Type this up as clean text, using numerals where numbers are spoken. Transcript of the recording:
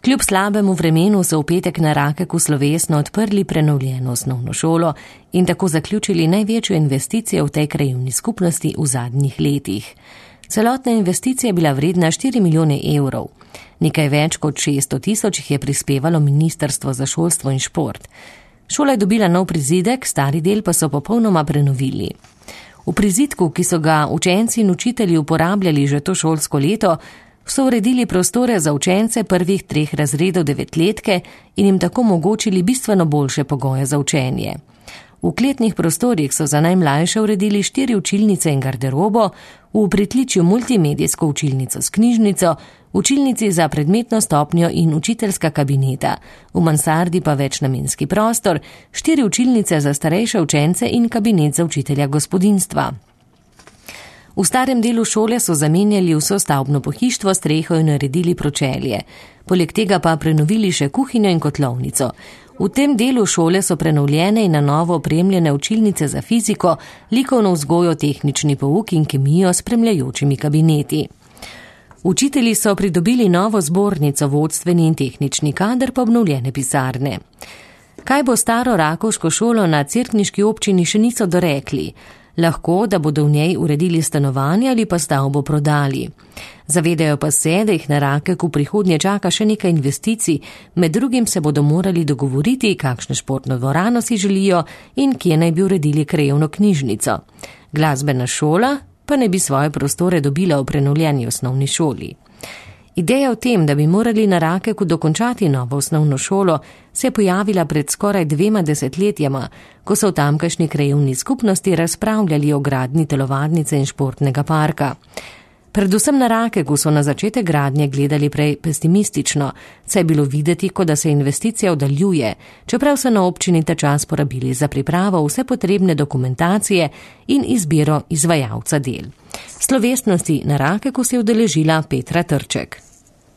Kljub slabemu vremenu so v petek na Rakeku slovesno odprli prenovljeno osnovno šolo in tako zaključili največjo investicijo v tej krajevni skupnosti v zadnjih letih. Celotna investicija je bila vredna 4 milijone evrov. Nekaj več kot 600 tisoč jih je prispevalo Ministrstvo za šolstvo in šport. Šola je dobila nov prizidek, stari del pa so popolnoma prenovili. V prizidku, ki so ga učenci in učitelji uporabljali že to šolsko leto, so uredili prostore za učence prvih 3 razredov 9-letke in jim tako omogočili bistveno boljše pogoje za učenje. V kletnih prostorih so za najmlajše uredili 4 učilnice in garderobo, v pritličju multimedijsko učilnico s knjižnico, učilnici za predmetno stopnjo in učiteljska kabineta, v mansardi pa večnamenski prostor, 4 učilnice za starejše učence in kabinet za učitelja gospodinjstva. V starem delu šole so zamenjali vso stavbno pohištvo, streho in naredili pročelje. Poleg tega pa prenovili še kuhinjo in kotlovnico. V tem delu šole so prenovljene in na novo opremljene učilnice za fiziko, likovno vzgojo, tehnični pouk in kemijo s spremljajočimi kabineti. Učitelji so pridobili novo zbornico, vodstveni in tehnični kader pa obnovljene pisarne. Kaj bo staro rakovško šolo na Cerkniški občini, še niso dorekli. Lahko, da bodo v njej uredili stanovanje ali pa stavbo prodali. Zavedajo pa se, da jih na Rakeku prihodnje čaka še nekaj investicij, med drugim se bodo morali dogovoriti, kakšno športno dvorano si želijo in kje naj bi uredili krajevno knjižnico. Glasbena šola pa naj bi svoje prostore dobila v prenovljeni osnovni šoli. Ideja o tem, da bi morali na Rakeku dokončati novo osnovno šolo, se je pojavila pred skoraj 2 desetletjama, ko so v tamkajšnji krajevni skupnosti razpravljali o gradnji telovadnice in športnega parka. Predvsem na Rakeku so na začetek gradnje gledali prej pesimistično, saj je bilo videti, kot da se investicija oddaljuje, čeprav so na občini ta čas porabili za pripravo vse potrebne dokumentacije in izbiro izvajalca del. Slovesnosti na Rakeku se je udeležila Petra Trček.